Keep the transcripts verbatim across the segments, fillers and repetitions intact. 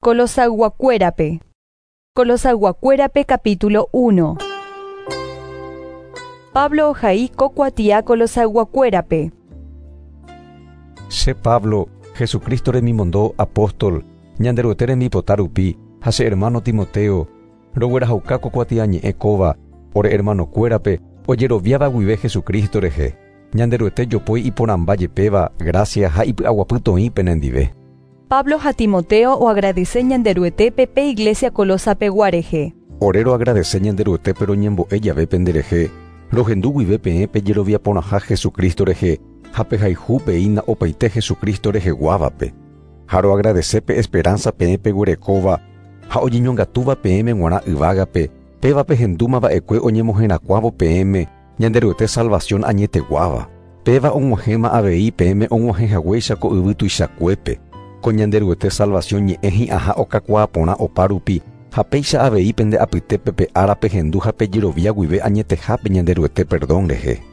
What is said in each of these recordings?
Colosayguakuérape. Colosayguakuérape capítulo uno. Pablo ohai ko kuatia Colosayguakuérape. Che Pablo, Jesucristo remimondo apóstol, Ñanderuete rembipota rupi, ha che hermano Timoteo, roguerahauka ko kuatiañe'ẽ kóva, ore hermanokuérape, ojeroviáva guive Jesucristo rehe. Ñanderuete jopói iporãmba jepéva, gracia ha ipy'aguapy toĩ penendive. Pablo ha Timoteo oagradece Ñanderuetépe pe iglesia Colosape-gua rehe. Ore roagradece Ñanderuetépe roñembo'e jave penderehe, rohendu guive peẽ pejerovia porãha Jesucristo rehe, ha pehayhu peína opaite Jesucristo reheguávape. Ha roagradece pe esperanza peẽ peguerekóva, ha oñeñongatúva peẽme g̃uarã yvágape, péva pehendúma va'ekue oñemoherakuãvo peẽme Ñanderuete salvación añeteguáva. Péva og̃uahẽma avei peẽme og̃uahẽhaguéicha ko yvy tuichakuépe. Ko Ñanderuete salvación ñe'ẽ hi'ãha okakuaa porã opa rupi, ha péicha avei pende apytépe pe ára pehendu ha pejerovia guive añetehápe Ñanderuete perdón rehe.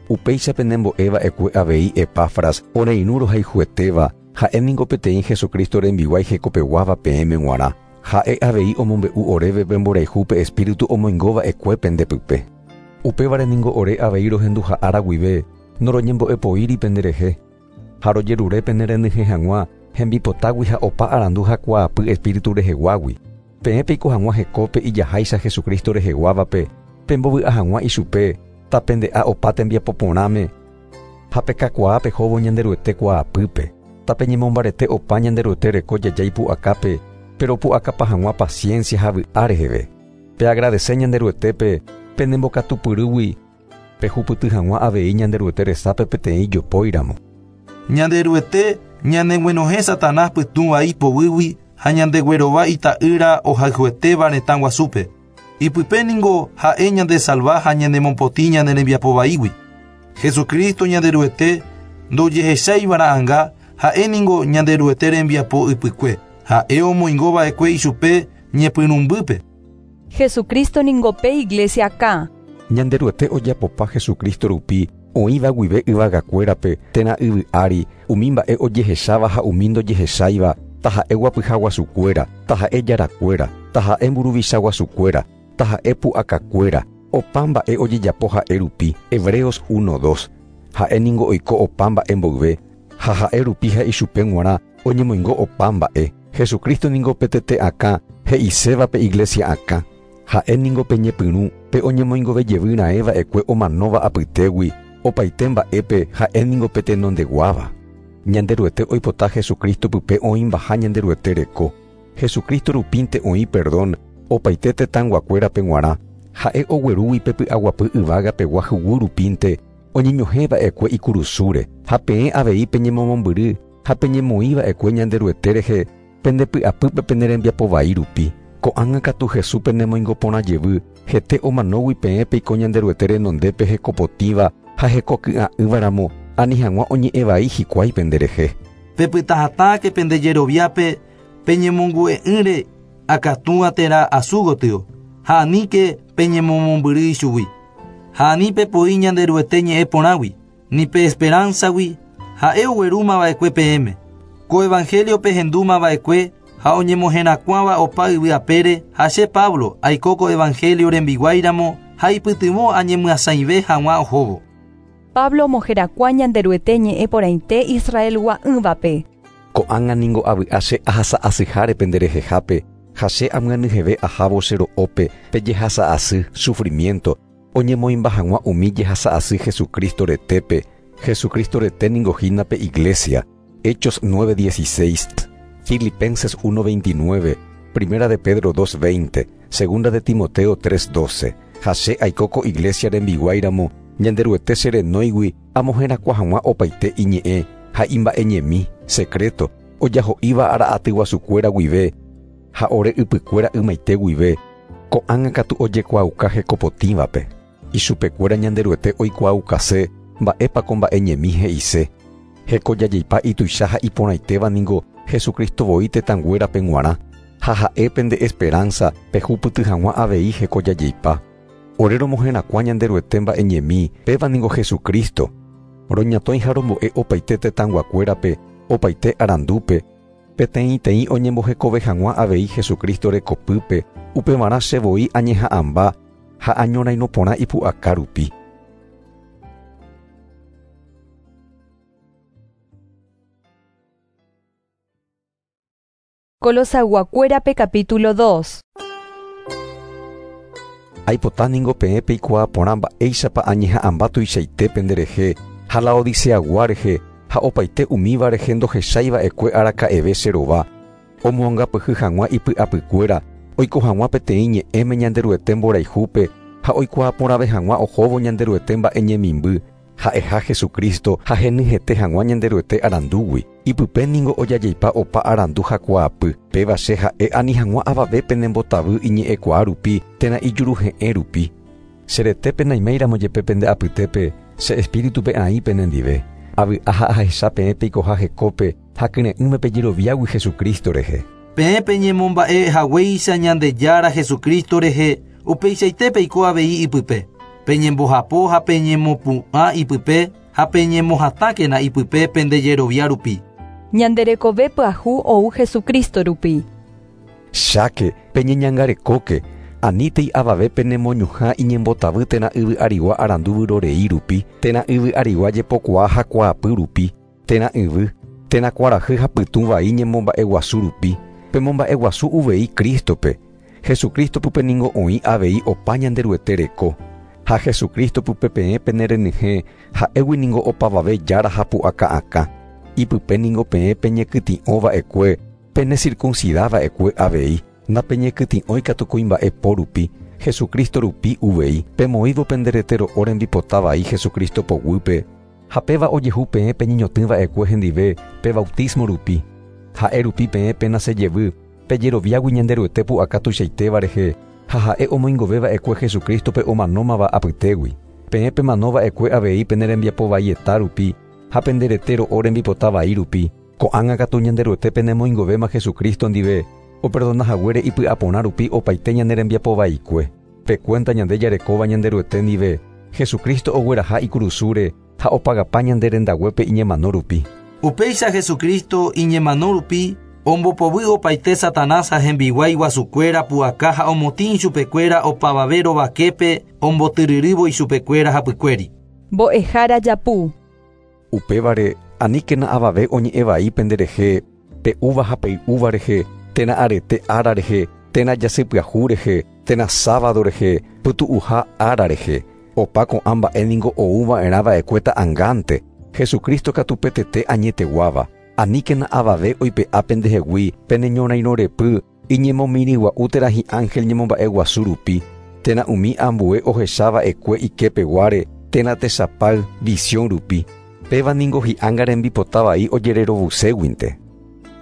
Upéicha penembo'e va'ekue avei Epafras oreirũ rohayhuetéva, ha'e ningo peteĩ Jesucristo rembiguái hekopeguáva peẽme g̃uarã. Ha'e avei omombe'u oréve pemborayhu pe Espíritu omoingova'ekue pendepype. Upévare ningo ore avei rohenduha ára guive, noroñembo'epoíri penderehe. Ha rojerure penerenyhẽ hag̃ua, hembipotágui ha opa arandu ha kuaapy Espíritu reheguágui. Peẽ peiko hag̃ua hekópe ijaháicha Jesucristo reheguávape, pembovy'a hag̃ua ichupe, tapende'a opa tembiapo porãme, ha pekakuaa pehóvo Ñanderuete kuaapýpe. Tapeñemombarete opa Ñanderuete reko jajái pu'akápe, pero pu'akapa hag̃ua paciencia ha vy'a reheve. Peagradece Ñanderuetépe penembokatupyrýgui, pehupyty hag̃ua avei Ñanderuete resápe peteĩ jopóiramo. Ñanderuete ñaneguenohẽ Satanás pytũvai poguýgui ha ñandeguerova ita'ýra ohayhuetéva retã guasúpe. Ipype ningo ha'e ñandesalva ha ñanemopotĩ ñane rembiapovaígui. Jesucristo Ñanderuete ndojehecháivara'ãnga ha'e ningo Ñanderuete rembiapo ypykue. Ha'e omoingova'ekue ichupe ñepyrũmbýpe. Jesucristo ningo pe iglesia akã. Ñanderuete ojapopa Jesucristo rupi, oĩva guive yvagakuérape térã yvy ári, umi mba'e ojehecháva ha umi ndojehecháiva, taha'e guapyha guasukuéra, taha'e jarakuéra, taha'e mburuvicha guasukuéra, taha'e pu'akakuéra, opa mba'e ojejapo ha'e rupi, Hebreos uno dos. Ha'e ningo oiko opa mba'e mboyve, ha ha'e rupi ha ichupe g̃uarã oñemoingo opa mba'e. Jesucristo ningo pe tete akã, he'iséva pe iglesia akã. Ha'e ningo peñepyrũ, pe oñemoingove jevy raẽ va'ekue omanóva apytégui, opaite mba'épe ha'e ningo pe tenondeguáva. Ñanderuete oipota Jesucristo pype oĩmbaha Ñanderuete reko. Jesucristo rupínte oĩ perdón, opaite tetãnguakuérape g̃uarã. Ha'e oguerúgui pe py'aguapy yvágapegua huguy rupínte, oñeñohẽ va'ekue ikurusúre, ha peẽ avei peñemomombyry, ha peñemoĩ va'ekue Ñanderuete rehe, pendepy'apýpe penerembiapovai rupi. Ko'ág̃a katu Jesús penemoingo porã jevy, hete omanógui peẽ peiko Ñanderuete renondépe hekopotĩva ha hekoky'a'ỹvaramo, ani hag̃ua oñe'ẽvai hikuái penderehe. Pepytahatãke pendejeroviápe peñemongu'e'ỹre akatúa térã asu gotyo, ha aníke peñemomombyry ichugui. Ha ani pepoi Ñanderuete ñe'ẽ porãgui, ni pe esperanzagui, ha'e oguerúmava'ekue peẽme. Ko evangelio pehendúmava'ekue ha oñemoherakuãva opa yvy apére, ha che Pablo aiko ko evangelio rembiguáiramo ha ipytyvõ añemyasãive hag̃ua ohóvo. Pablo omoherakuã Ñanderuete ñe'ẽ porãite Israelgua'ỹvape. Ko'ág̃a ningo avy'a che ahasa'asyháre penderehehápe, ha che amyanyheve ahávo che ro'ópe pejehasa'asy, sufrimiento, oñemoĩmba hag̃ua umi jehasa'asy Jesucristo retépe. Jesucristo rete ningo hína pe iglesia. Hechos nueve dieciséis, Filipenses uno veintinueve, Primera de Pedro dos veinte, Segunda de Timoteo tres doce. Ha che aiko ko iglesia rembiguáiramo, Ñanderuete cherenóigui amoherakuã hag̃ua opaite iñe'ẽ ha imba'eñemi, secreto, ojaho'íva ara'aty guasukuéra guive, ha ore ypykuéra ymaite guive, ko'ág̃a katu ojekuaauka hekopotĩvape. Ichupekuéra Ñanderuete oikuaaukase, mba'épa ko mba'eñemi he'ise. Hekojajeipa ituicha ha iporãitéva ningo Jesucristo voi tetãnguérape g̃uarã, ha ha'e pende esperanza pehupyty hag̃ua avei hekojajeipa. Ore romoherakuã Ñanderuete mba'eñemi, péva ningo Jesucristo. Roñatõi ha rombo'e opaite tetãnguakuérape, opaite arandúpe, Peteĩteĩ oñembohekove hag̃ua avei Jesucristo rekopýpe, upevarã chevoi añeha'ãmba ha añorairõporã ipu'aka rupi. Colosayguakuérape capítulo dos. Aipota ningo peẽ peikuaa mba'éichapa añeha'ãmba tuichaite penderehe ha Laodiceagua rehe ha opaite umíva rehe ndohechaiva'ekue araka'eve che rova omoangapyhy hag̃ua ipy'apykuéra oiko hag̃ua peteĩ ñe'ẽme Ñanderuete mborayhúpe ha oikuaaporãve hag̃ua ohóvo Ñanderuete mba'e ñemimby ha'eha Jesucristo ha henyhẽte hag̃ua Ñanderuete arandúgui. Ipype ningo ojajeipa opa arandu hakuaapy péva che ha'e ani hag̃ua avave penembotavy iñe'ẽkuaa rupi térã ijuruhe'ẽ rupi. Cheretépe naiméiramo jepe pende apytépe che espíritupe aĩ penendive. Avy'a ha ahecha peẽ peikoha hekópe ha kyre'ỹme pejeroviágui Jesucristo rehe. Peẽ peñemomba'e haguéicha Ñandejára Jesucristo rehe upeichaite peiko avei ipype. Peñembohapo ha peñemopu'ã ipype ha peñemohatãkena ipype pendejerovia rupi. Ñanderekove pyahu ou Jesucristo rupi. Cháke peñeñangarekóke anítei avave penemoñuhã iñembotavy térã yvy arigua arandu vyrorei rupi, térã yvy arigua jepokuaa hakuaapy rupi, térã yvy, térã kuarahy ha pytũ vai ñemomba'eguasu rupi. Pemomba'eguasu uvei Cristo-pe. Jesucristo pype ningo oĩ avei opa Ñanderuete reko. Ha Jesucristo pype peẽ penerenyhẽ ha'égui ningo opavave jára ha pu'aka'akã. Ipype ningo peẽ peñekytĩ'ova'ekue, penecircuncidava'ekue avei. Napeñekytĩ'ói katu kuimba'e po rupi, Jesucristo rupi uvei, pemoĩvo penderete ro'o rembipota vai Jesucristo poguýpe. Ha péva ojehu peẽ peñeñotỹva'ekue hendive pe bautismo rupi. Ha'e rupi peẽ penasejevy, pejeroviágui Ñanderuete pu'aka tuichaitéva rehe, ha ha'e omoingoveva'ekue Jesucristo-pe omanómava apytégui. Peẽ pemanova'ekue avei penerembiapo vaieta rupi, ha penderete ro'o rembipota vai rupi. Ko'ág̃a katu Ñanderuete penemoingovéma Jesucristo ndive, operdona haguére ipy'aporã rupi opaite ñanerembiapo vaikue. Pe cuenta ñande jarekóva Ñanderuete ndive, Jesucristo ogueraha ikurusúre ha opagapa ñande rendaguépe iñemano rupi. Upéicha Jesucristo iñemano rupi ombopovy opaite Satanás ha hembiguái guasukuéra pu'aka ha omotĩ ichupekuéra opavave rovaképe ombotyryrývo ichupekuéra hapykuéri. Mbo'ehára japu. Upévare aníkena avave oñe'ẽ vai penderehe, pe'úva ha pey'úva rehe, térã arete ára rehe, térã jasypyahu rehe, térã sábado rehe, pytu'uha ára rehe. Opa ko'ã mba'e ningo ouva'erãva'ekue ta'angánte. Jesucristo katu petete añeteguáva. Aníkena avave oipe'a pendehegui peneñorairõrepy iñemomirĩgua'u térã hi'ángel ñemomba'eguasu rupi, térã umi ambue ohechava'ekue ikepeguáre, térã tesapay visión rupi. Péva ningo hi'ánga rembipota vai ojererovuséguinte.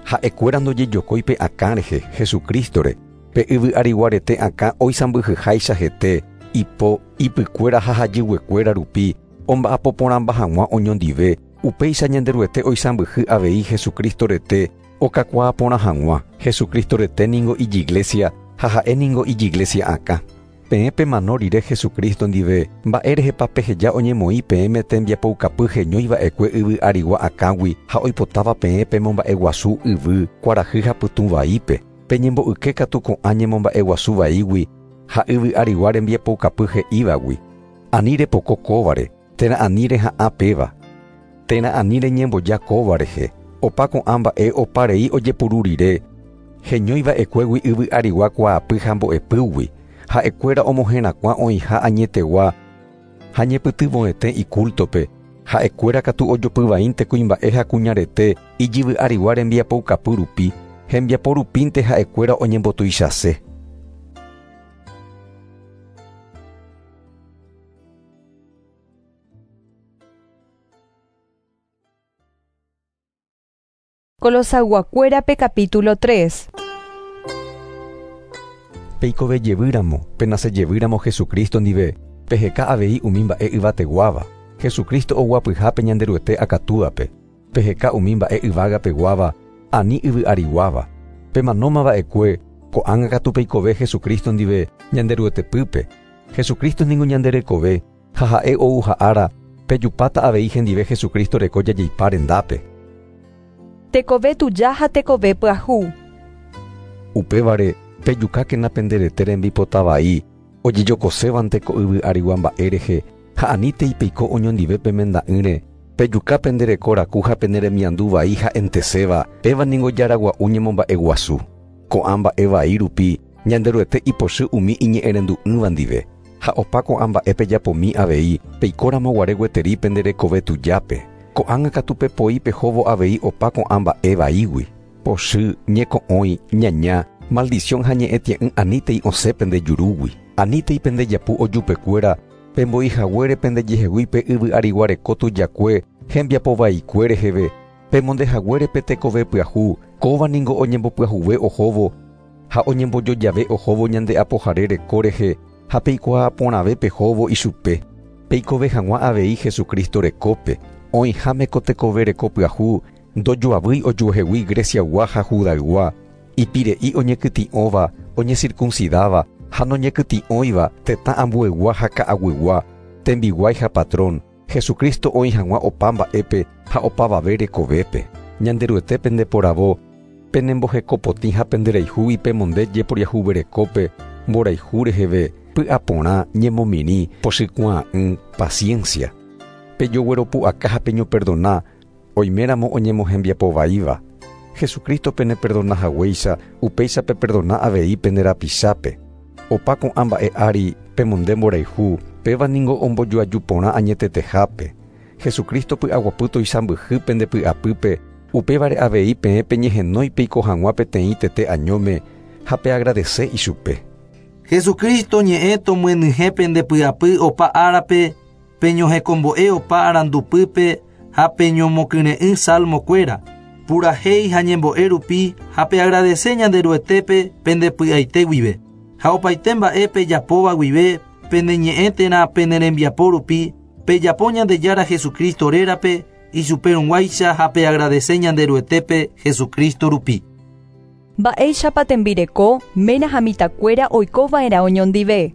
Ha'ekuéra ndojejokói pe akã rehe Jesucristo-re, pe yvy ariguarete akã oisãmbyhyháicha hete, ipo, ipykuéra ha hajyguekuéra rupi, omba'apoporãmba hag̃ua oñondive, upéicha Ñanderuete oisãmbyhy avei Jesucristo rete okakuaaporã hag̃ua. Jesucristo rete ningo ijiglesia ha ha'e ningo ijiglesia akã. Peẽ pemano rire Jesucristo ndive, mba'érehepa peheja oñemoĩ peẽme tembiapoukapy heñóiva'ekue yvy arigua akãgui ha oipotáva peẽ pemomba'eguasu yvy, kuarahy ha pytũ vaípe. Peñembo'yke katu ko'ã ñemomba'eguasu vaígui ha yvy arigua rembiapoukapy he'ívagui. Ani repoko kóvare, térã ani reha'ã péva, térã ani reñemboja kóva rehe. Opa ko'ã mba'e oparei ojepuru rire, heñóiva'ekuégui yvy arigua kuaapy ha mbo'epýgui. Ha'ekuéra omoherakuã oĩha añetegua ha ñepytyvõete iculto-pe. Ha'ekuéra katu ojopyvaínte kuimba'e ha kuñarete ijyvy arigua rembiapoukapy rupi, hembiapo rupínte ha'ekuéra oñembotuichase. Colosayguakuérape capítulo tres. Peikove jevýramo, penasejevýramo Jesucristo ndive, peheka avei umi mba'e yvateguáva. Jesucristo oguapyhápe Ñanderuete akatúape. Peheka umi mba'e yvágapeguáva, ani yvy ariguáva. Pemanómava'ekue, ko'ág̃a katu peikove Jesucristo ndive Ñanderuetepýpe. Jesucristo ningo ñanderekove, ha ha'e ou ha'ára, pejupáta avei hendive Jesucristo reko jajeipa rendápe. Tekove tuja ha tekove pyahu. Upévare pejukákena penderete rembipota vai ojejokosévante ko yvy arigua mba'e rehe ha anítei peiko oñondive pemenda'ỹre pejuka pendereko raku ha peneremiandu vai ha enteséva péva ningo jaragua'u ñemomba'eguasu. Ko'ã mba'e vai rupi Ñanderuete ipochy umi iñe'ẽrendu'ỹva ndive ha opa ko'ã mba'e pejapomi avei peikóramo guare gueteri penderekove tujápe. Ko'ág̃a katu pepoi pehóvo avei opa ko'ã mba'e vaígui. Pochy, ñeko'õi, ñaña, maldición ha ñe'ẽtie'ỹ anítei osẽ pende jurúgui. Anítei pendejapu ojupekuéra pembo'ihaguére pendejehegui pe yvy ariguareko tujakue hembiapovaikue reheve pemondehaguére pe tekove pyahu kóva ningo oñembopyahuve ohóvo ha oñembojojave ohóvo ñande apohare reko rehe ha peikuaa porãve pehóvo ichupe. Peikove hag̃ua avei Jesucristo rekópe oĩháme ko tekove reko pyahu ndojoavýi ojuehegui Greciagua ha Judaygua ipire'i oñekytĩ'óva oñecircuncidáva ha noñekytĩ'óiva tetã ambuegua ha ka'aguygua tembiguái ha patrón Jesucristo oĩ hag̃ua opa mba'épe ha opavave rekovépe. Ñanderuete pendeporavo penembohekopotĩ ha penderayhúgui pemonde jeporiahuverekópe mborayhu reheve py'aporã ñemomirĩ pochykuaa'ỹ paciencia. Pejogueropu'aka ha peñoperdona oiméramo oñemohembiapovaíva. Jesucristo peneperdonahaguéicha upéicha peperdona avei penderapichápe. Opa ko'ã mba'e ári pemonde mborayhu péva ningo ombojoaju porã añetetehápe. Jesucristo py'aguapy toisãmbyhy pendepy'apýpe upévare avei peẽ peñehenói peiko hag̃ua peteĩ tete añóme ha peagradece ichupe. Jesucristo ñe'ẽ tomyenyhẽ pendepy'apy opa árape peñohekombo'e opa arandupýpe ha peñomokyre'ỹ salmokuéra purahéi ha ñembo'e rupi ha peagradece Ñanderuetépe pendepy'aite guive. Ha opaite mba'e pejapóva guive peneñe'ẽ térã penerembiapo rupi pejapo Ñandejára Jesucristo rérape ichuperõguáicha ha peagradece Ñanderuetépe Jesucristo rupi. Mba'éichapa tembireko ména ha mitãkuéra oikova'erã oñondive.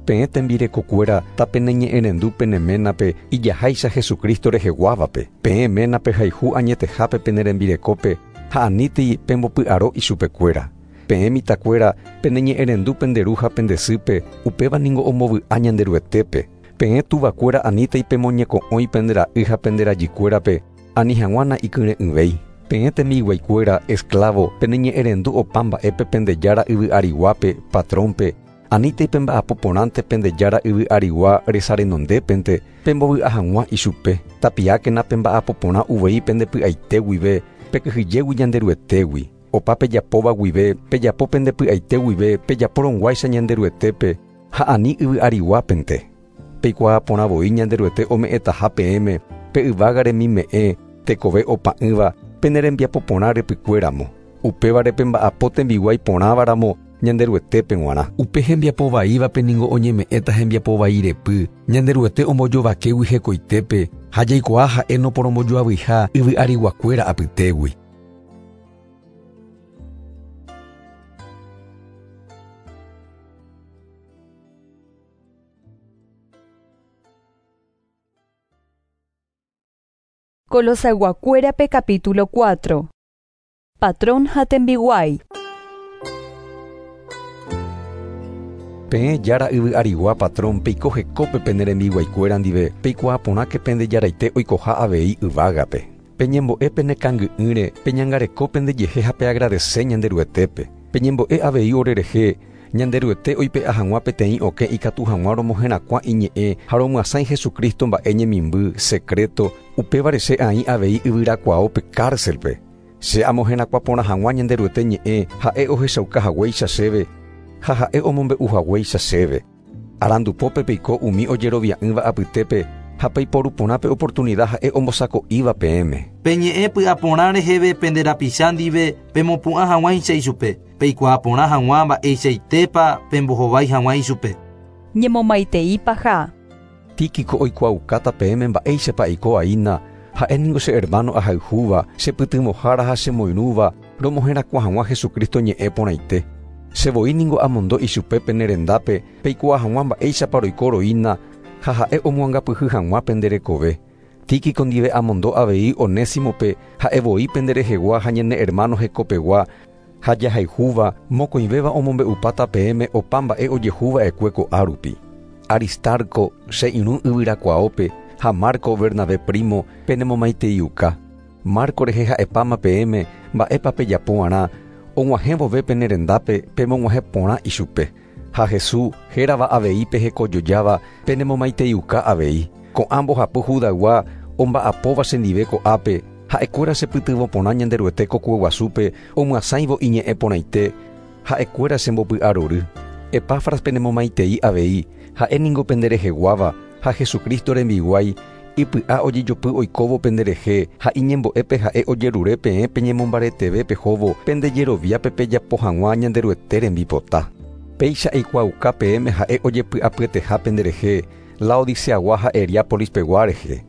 Peẽ tembirekokuéra tapeneñe'ẽrendu peneménape ijaháicha Jesucristo reheguávape. Peẽ ménape hayhu añetehápe penerembirekópe ha anítei pembopy'aro ichupekuéra. Peẽ mitãkuéra peneñe'ẽrendu penderu ha pendesýpe upéva ningo ombovy'a Ñanderuetépe. Peẽ tuvakuéra anítei pemoñeko'õi pendera'y ha penderajykuérape ani hag̃ua ikyre'ỹvéi. Peẽ tembiguaikuéra esclavo peneñe'ẽrendu opa mba'épe pendejára yvy ariguápe patrónpe anítei pemba'apo porãnte pendejára yvy arigua resarenondépente pembovy'a hag̃ua ichupe. Tapiákena pemba'apo porã uvei pendepy'aite guive pekyhyjégui Ñanderuetégui. Opa pejapóva guive pejapo pendepy'aite guive pejaporõguáicha Ñanderuetépe ha ani yvy ariguápente. Peikuaa porã voi Ñanderuete ome'ẽtaha peẽme pe yvága remime'ẽ tekove opa'ỹva penerembiapo porã repykuéramo. Upévare pemba'apo tembiguái porãvaramo Ñanderuetépe g̃uarã. Upe hembiapovaívape ningo oñeme'ẽta hembiapovai repy Ñanderuete ombojovakéguy hekoitépe ha jaikuaa ha'e noporombojoavyiha yvy ariguakuéra apytégui. Colosayguakuérape capítulo cuatro. Patrón ha tembiguái. Peẽ jára yvy arigua patrón peiko hekópe penerembiguaikuéra ndive peikuaa porãke pendejaraite oikoha avei yvágape. Peñembo'e penekangy'ỹre peñangareko pendejehe ha peagradece Ñanderuetépe. Peñembo'e avei orerehe Ñanderuete oipe'a hag̃ua peteĩ okẽ ikatu hag̃ua romoherakuã iñe'ẽ ha romyasãi Jesucristo mba'e ñemimby secreto upévare che aĩ avei yvyrakuaópe cárcelpe. Che amoherakuã porã hag̃ua Ñanderuete ñe'ẽ ha'e ohechaukahaguéicha chéve ha ha'e omombe'uhaguéicha chéve. Arandupópe peiko umi ojerovia'ỹva apytépe ha peiporu porã pe oportunidad ha'e ombosako'íva peẽme. Peñe'ẽ py'aporã reheve penderapicha ndive pemopu'ã hag̃uáicha ichupe. Peikuaa porã hag̃ua mba'eichaitépa pembohovái hag̃ua ichupe. Ñemomaitei paha. Tíquico oikuaukáta peẽme mba'éichapa aiko aína ha'e ningo che hermano ahayhúva chepytyvõhára ha chemoirũva romoherakuã hag̃ua Jesucristo ñe'ẽ porãite. Che voi ningo amondo ichupe penerendápe peikuaa hag̃ua mba'éichapa roiko roína ha ha'e omoangapyhy hag̃ua penderekove. Tíquico ndive amondo avei Onésimope ha'e voi penderehegua ha ñane hermano hekopegua ha jahayhúva mokõivéva omombe'upáta peẽme opa mba'e ojehuva'ekue ko'árupi. Aristarco che irũ yvyrakuaópe ha Marco Bernabé primo penemomaiteiuka. Marco rehe ha'epáma peẽme mba'épa pejapo'arã og̃uahẽ vove pene rendápe pemog̃uahẽ porã ichupe. Ha Jesús hérava avei pehekojojáva penemomaiteiuka avei. Ko'ã mbohapy Judaygua omba'apóva chendive ko'ápe ha'ekuéra chepytyvõ porã Ñanderuete kokueguasúpe omyasãivo iñe'ẽ porãite ha'ekuéra chembopy'arory. Epafras penemomaitei avei ha'e ningo pendereheguáva ha Jesucristo rembiguái ipy'a ojejopy oikóvo penderehe ha iñembo'épe ha'e ojerure peẽ peñemombareteve pehóvo pendejeroviápe pejapo hag̃ua Ñanderuete rembipota. Péicha eikuaauka peẽme ha'e ojepy'apyeteha penderehe Laodiceagua ha Heriápolis pegua rehe.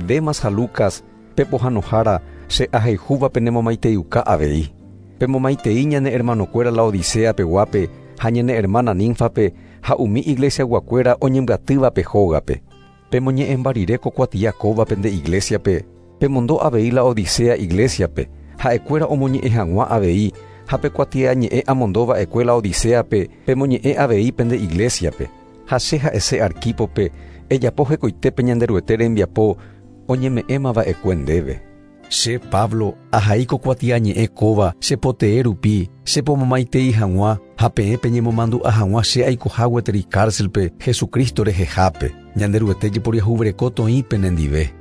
Demas ha Lucas pepohãnohára che ahayhúva penemomaiteiuka avei. Pemomaitei ñane hermanokuéra Laodicea peguápe ha ñane hermana Ninfape ha umi iglesiaguakuéra oñembyatývape hógape. Pemoñe'ẽmba rire ko kuatia kóva pende iglesiape, pemondo avei Laodicea iglesiape, ha'ekuéra omoñe'ẽ hag̃ua avei ha pe kuatiañe'ẽ amondova'ekue Laodiceape pemoñe'ẽ avei pende iglesiape. Ha che ha'ese Arquipope ejapo hekoitépe Ñanderuete rembiapo oñeme'ẽmava'ekue ndéve. Che Pablo ahai ko kuatiañe'ẽ kóva chepotee rupi chepomomaitei hag̃ua ha peẽ peñemomandu'a hag̃ua che aikoha gueteri cárcelpe Jesucristo rehehápe. Ñanderuete jeporiahuvereko toĩ penendive.